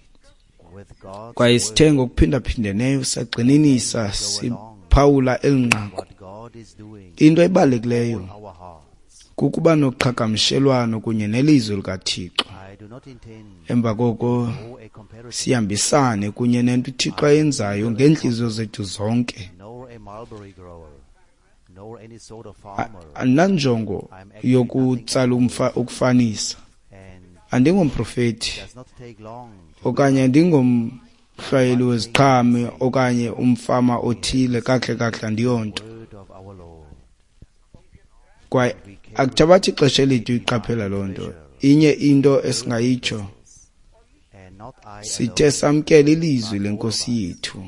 Speaker 1: with God's
Speaker 2: Kwaye sithe ngokuphindaphindeneyo sagxininisa siphawula eli nqaku.
Speaker 1: what God is doing
Speaker 2: Into ebalulekileyo
Speaker 1: in our hearts.
Speaker 2: kukuba noqhagamshelwano kunye nelizwi likaThixo.
Speaker 1: I do not intend
Speaker 2: Emva koko
Speaker 1: nor a comparison
Speaker 2: sihambisane kunye nento uThixo ayenzayo ngeentliziyo zethu zonke.
Speaker 1: nor a mulberry grower nor any sort of farmer
Speaker 2: Andinanjongo yokutsala ukufanisa.
Speaker 1: and
Speaker 2: Andingomprofethi
Speaker 1: does not take long to
Speaker 2: okanye andingomhlwayeli weziqhamo okanye umfama othile, kakuhle kakuhle andiyonto.
Speaker 1: word of our Lord.
Speaker 2: Kwaye akuthabathi ixesha elide uyiqaphela loo nto. Inye into esingayitsho,
Speaker 1: And not I
Speaker 2: sithe
Speaker 1: alone
Speaker 2: samkela ilizwi lenkosi yethu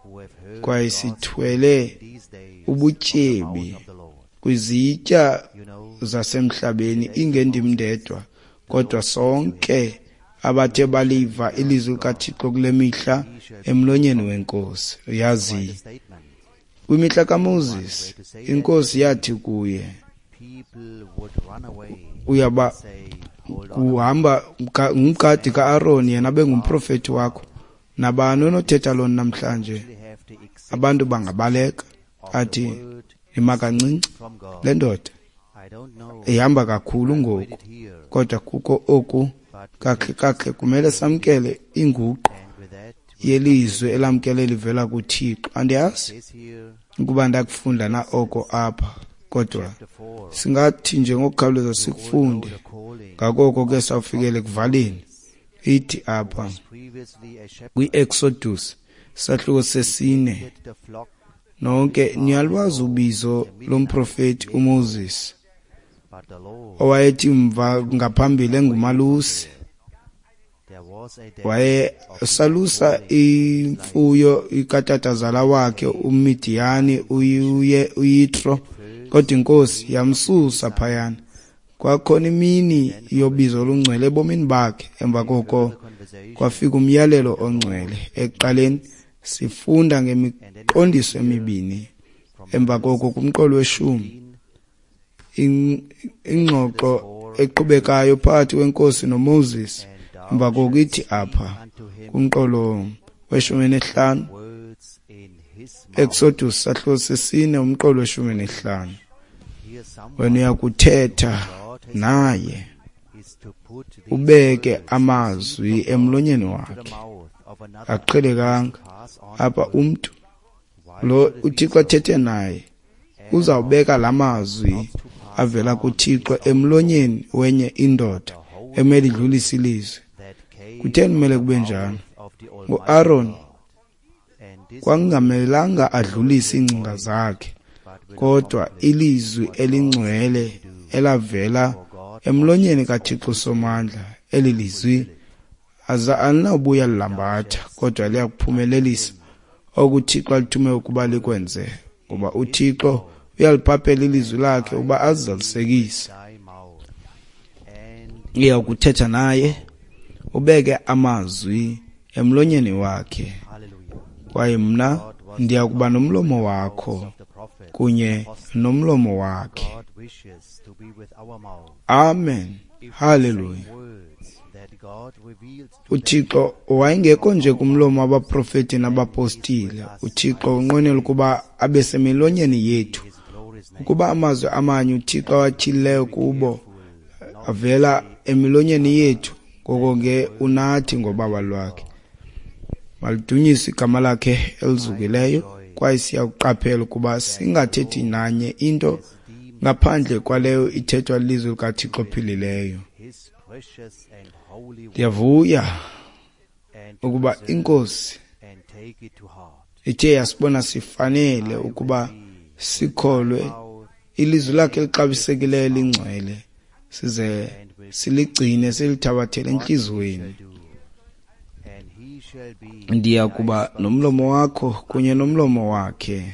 Speaker 1: who have heard
Speaker 2: kwaye
Speaker 1: God's
Speaker 2: sithwele
Speaker 1: these days
Speaker 2: ubutyebi
Speaker 1: of the Lord.
Speaker 2: kwizitya
Speaker 1: You know,
Speaker 2: zasemhlabeni, ingendim ndedwa, kodwa sonke abathe baliva ilizwi likaThixo kule mihla emlonyeni wenkosi. Uyazi,
Speaker 1: the statement
Speaker 2: kwimihla kaMoses inkosi yathi kuye,
Speaker 1: people would run away
Speaker 2: uyaba
Speaker 1: say, hold on,
Speaker 2: kuhamba ngumgadi ka-Aaron, yena bengumprofethi wakho. Nabani onothetha loo nto namhlanje?
Speaker 1: we have the exact
Speaker 2: Abantu bangabaleka athi
Speaker 1: word
Speaker 2: ima kancinci,
Speaker 1: from God.
Speaker 2: le ndoda
Speaker 1: I don't know
Speaker 2: ihamba kakhulu ngoku,
Speaker 1: it here,
Speaker 2: kodwa kukho oku kakuhle kakuhle kumele samkele inguqu
Speaker 1: and with that
Speaker 2: yelizwi elamkele livela kuThixo. Andiyazi
Speaker 1: says here
Speaker 2: ukuba ndakufunda na oko apha, kodwa
Speaker 1: chapter 4
Speaker 2: singathi nje ngokukhawuleza sikufunde.
Speaker 1: the calling
Speaker 2: Ngakoko ke sawufikele ekuvaleni. Ithi apha
Speaker 1: previously a shepherd
Speaker 2: kwi-Exodus sahluko sesine,
Speaker 1: led the flock
Speaker 2: nonke niyalwazi ubizo lomprofeti uMoses
Speaker 1: but the Lord
Speaker 2: owayethi mva ngaphambili engumalusi.
Speaker 1: there was a day
Speaker 2: Waye salusa imfuyo ikatatazala wakhe uMidiyani uYitro, kodwa inkosi yamsusa phayana. Kwakhona imini yobizo olungcwele ebomini bakhe. Emva koko
Speaker 1: conversation
Speaker 2: kwafika umyalelo ongcwele. Ekuqaleni sifunda ngemiqondiso emibini. Emva koko kumqolo weshumi ingxoxo eqhubekayo phakathi kwenkosi noMoses. Emva koko ithi apha
Speaker 1: unto him
Speaker 2: kumqolo weshumi nesihlanu,
Speaker 1: words in his mouth.
Speaker 2: Exodus sahluko sesine umqolo weshumi nesihlanu,
Speaker 1: Here someone
Speaker 2: wena uyakuthetha
Speaker 1: God
Speaker 2: naye, ubeke amazwi emlonyeni wakhe. Aqhelekanga apha umntu lo uThixo athethe naye uzawubeka la mazwi avela kuThixo emlonyeni wenye indoda emele idlulise ilizwi. Kutheni kumele kube njalo? NguAaron kwakungamelanga adlulise iingcinga zakhe, kodwa ilizwi elingcwele elavela emlonyeni kaThixo Somandla. Eli lizwi alinawubuya lilambatha, kodwa liyakuphumelelisa oku uThixo alithume ukuba likwenze, ngoba uThixo uyaliphaphela ilizwi lakhe ukuba azalisekise. Iya kuthetha naye, ubeke amazwi emlonyeni wakhe, kwaye mna ndiya kuba nomlomo wakho kunye nomlomo wakhe. Amen. Haleluya. UThixo wayengekho nje kumlomo wabaprofeti nabapostile. UThixo unqwenela ukuba abe semilonyeni yethu, ukuba amazwi amanye uThixo awatyhilileyo kubo avela emilonyeni yethu. Ngoko ke unathi ngobaba lwakhe. Malidunyiswe igama lakhe elizukileyo. Kwaye siyakuqaphela ukuba singathethi nanye into ngaphandle kwaleyo ithethwa lilizwi likaThixo ophilileyo. Ndiyavuya ukuba iNkosi ithe yasibona sifanele ukuba sikholwe ilizwi lakhe elixabisekileyo elingcwele, size siligcine silithabathele entliziyweni. Ndiya kuba nomlomo wakho kunye nomlomo wakhe,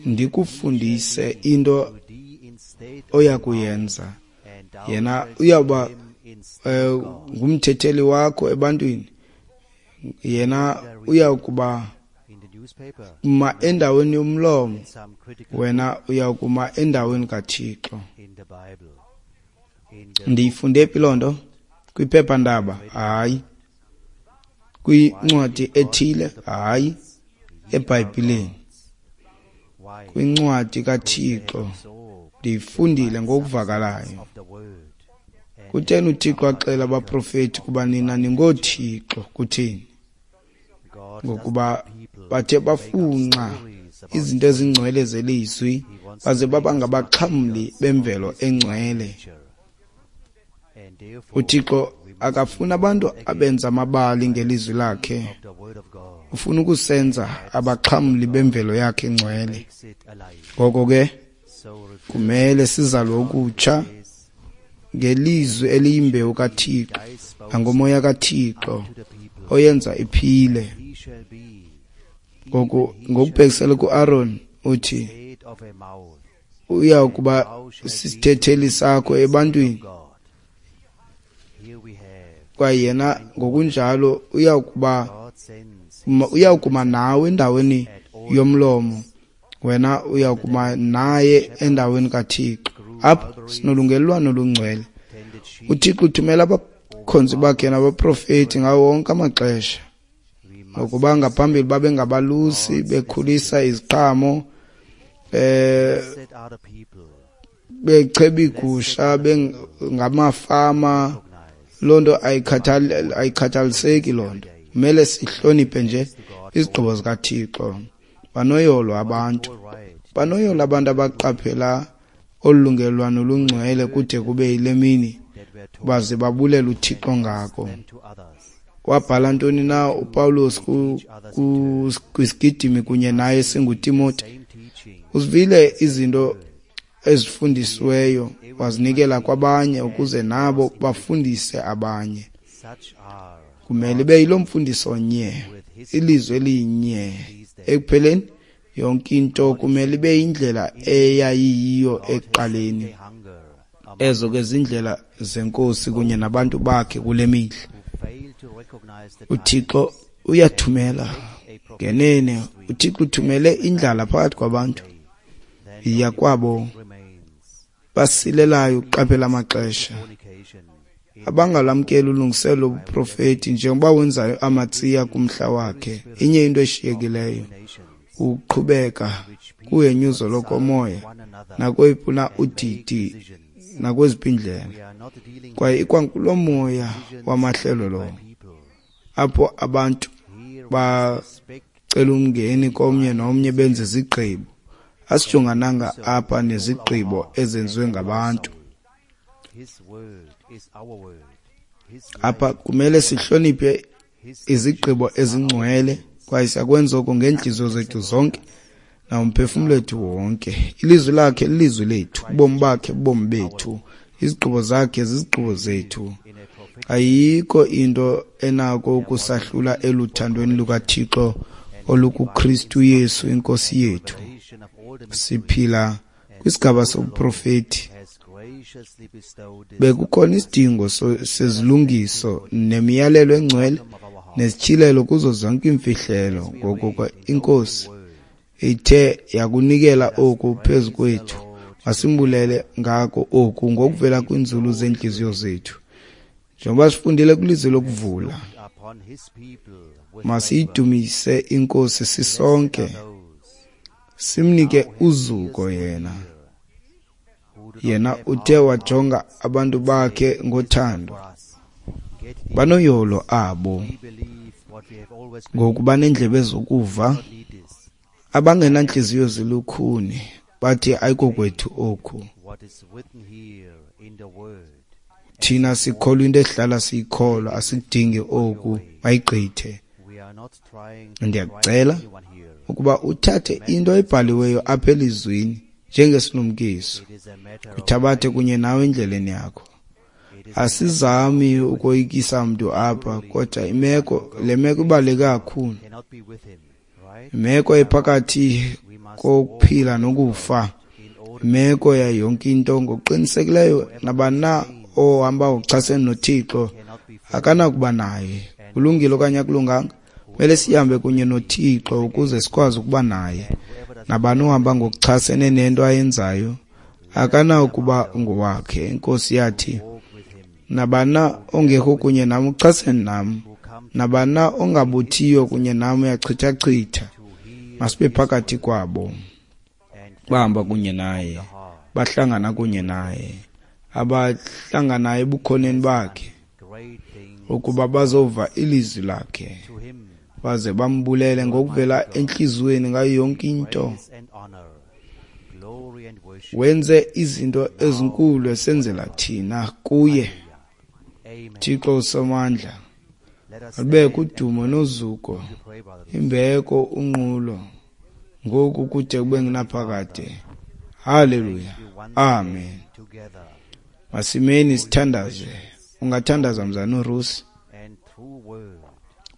Speaker 2: ndikufundise into oya kuyenza. Yena uyawuba ngumthetheli wakho ebantwini. Yena uyawukuba ma endaweni yomlomo, wena uyawukuma endaweni kaThixo. Ndiyifunde phi loo nto? Kwiphephandaba? Hayi. Kwincwadi ethile? Hayi. EBhayibhileni, kwincwadi kaThixo, ndiyifundile ngokuvakalayo. Kutheni uThixo axela abaprofeti kuba nina ningoothixo? Kutheni? Ngokuba bathe bafunxa izinto ezingcwele zelizwi, baze baba ngabaxhamli bemvelo engcwele. uThixo akafuni abantu abenza amabali ngelizwi lakhe. Ufuna ukusenza abaxhamli bemvelo yakhe engcwele. Ngoko ke kumele sizalwe ukutsha ngelizwi eliyimbewu kaThixo nangomoya kaThixo oyenza iphile. Ngoku ngokubhekisele kuAaron uthi uya kuba sisithetheli sakho ebantwini, kwaye yena ngokunjalo uyawukuma nawe endaweni yomlomo, wena uyawukuma naye endaweni kaThixo. Apha sinolungelelwano olungcwele. uThixo uthumela abakhonzi bakhe nabaprofeti ngawo wonke amaxesha, ngokuba ngaphambili babengabalusi bekhulisa iziqhamo, becheba iigusha, bengamafama. Loo nto ayikhathaliseki loo nto. Kumele sihloniphe nje izigqibo zikaThixo. Banoyolo abantu, banoyolo abantu abaqaphela olu lungelelwano olungcwele kude kube yile mini, baze babulela uThixo ngako. Wabhala ntoni na uPawulos kwisigidimi kunye naye singuTimoti? Uzivile izinto ezifundisiweyo, wazinikela kwabanye ukuze nabo bafundise abanye. Kumele ibe yiloo mfundiso nye, ilizwi elinye. Ekupheleni yonke into kumele ibe yindlela eyayiyiyo ekuqaleni. Ezo ke zindlela zeNkosi kunye nabantu bakhe kule mihla. uThixo uyathumela ngenene. uThixo uthumele indlala phakathi kwabantu. Yiya kwabo basilelayo ukuqaphela amaxesha, abangalamkeli ulungiselelo lobuprofeti njengoba wenzayo Amatsiya kumhla wakhe. Inye into eshiyekileyo, ukuqhubeka kuhenyuzo lokomoya Nakweyiphi na udidi nakweziphi iindlela. Kwaye ikwangulo moya wamahlelo lowo, apho abantu bacela umngeni komnye nomnye benze izigqibo. Asijongananga apha nezigqibo ezenziwe ngabantu. Apha kumele sihloniphe izigqibo ezingcwele, kwaye siyakwenza oko ngeentliziyo zethu zonke nangomphefumlo wethu wonke. Ilizwi lakhe lilizwi lethu, ubomi bakhe bubomi bethu, izigqibo zakhe zizigqibo zethu. Ayikho into enako ukusahlula eluthandweni lukaThixo olukuKristu Yesu iNkosi yethu. Siphila kwisigaba sobuprofeti. Bekukhona isidingo sezilungiso nemiyalelo engcwele nezityhilelo kuzo zonke iimfihlelo. Ngoko ke iNkosi ithe yakunikela oku phezu kwethu, masimbulele ngako oku ngokuvela kwiinzulu zeentliziyo zethu. Njengoba sifundile kwilizwi lokuvula, masiyidumise iNkosi sisonke, simnike uzuko yena. Yena uthe wajonga abantu bakhe ngothando. Banoyolo abo ngokuba neendlebe zokuva, abangenantliziyo zilukhuni, bathi ayikokwethu oku. Thina sikholwa into esihlala siyikholwa, asikudingi oku, mayigqithe. Ndiyakucela ukuba uthathe into ebhaliweyo apha elizwini njengesilumkiso, uthabathe kunye nawe endleleni yakho. Asizami ukoyikisa mntu apha, kodwa imeko le meko ibaluleke kakhulu. Imeko ephakathi kokuphila nokufa, imeko yayo yonke into. Ngokuqinisekileyo nabani na ohamba ngokuchasene noThixo akanakuba naye. Kulungile okanye akulunganga, kumele sihambe kunye noThixo ukuze sikwazi ukuba naye. Nabani ohamba ngokuchasene nento ayenzayo akanakuba ngowakhe. INkosi yathi, nabani na ongekho kunye nam uchasene nam, nabani na ongabuthiyo kunye nam uyachithachitha. Masibe phakathi kwabo bahamba kunye naye, bahlangana kunye naye, abahlanganayo ebukhoneni bakhe, ukuba bazova ilizwi lakhe baze bambulele ngokuvela entliziyweni ngayo yonke into. Wenze izinto ezinkulu esenzela thina kuye. Thixo uSomandla, alubekho udumo nozuko, imbeko, unqulo, ngoku kude kube ngunaphakade. Haleluya, amen. Masimeni sithandaze. Ungathandaza mzana uRusi.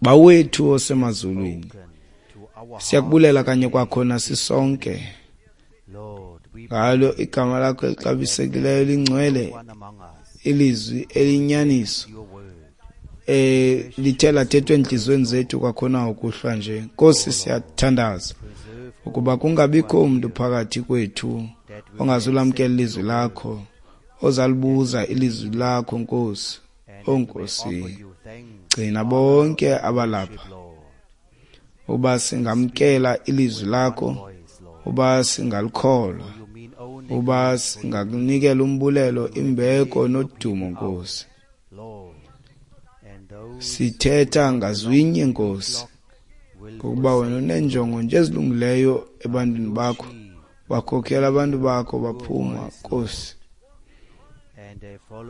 Speaker 2: Bawethu osemazulwini, siyakubulela kanye kwakhona sisonke ngalo igama lakho elixabisekileyo lingcwele, ilizwi elinyaniso lithe lathethwa entliziyweni zethu kwakhona ukuhlwa nje. Nkosi, siyathandaza ukuba kungabikho umntu phakathi kwethu ongazulamkela ilizwi lakho, ozalibuza ilizwi lakho, Nkosi. O Nkosi, gcina bonke abalapha uba singamkela ilizwi lakho, uba singalikholwa, uba singakunikela umbulelo, imbeko nodumo, Nkosi. Sithetha ngazwinye, Nkosi, ngokuba wena uneenjongo nje ezilungileyo ebantwini bakho. Bakhokhela abantu bakho baphuma, Nkosi.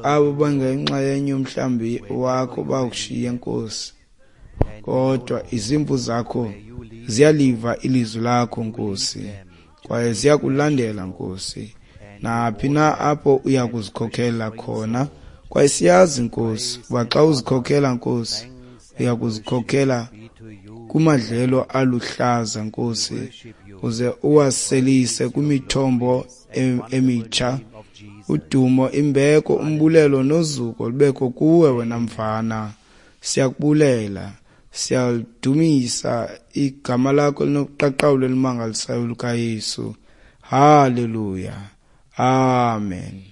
Speaker 2: Abo bangenxa yenye umhlambi wakho bakushiye, Nkosi, kodwa izimvu zakho ziyaliva ilizwi lakho, Nkosi, kwaye ziyakulandela, Nkosi, naphi na apho uya kuzikhokhela khona. Kwaye siyazi, Nkosi, uba xa uzikhokhela, Nkosi, uya kuzikhokhela kumadlelo aluhlaza, Nkosi, uze uwaselise kwimithombo emitsha. Udumo, imbeko, umbulelo nozuko lubekho kuwe wena mfana. Siyakubulela, siyalidumisa igama lakho elinobuqaqawuli elimangalisayo lukaYesu. Haleluya, amen.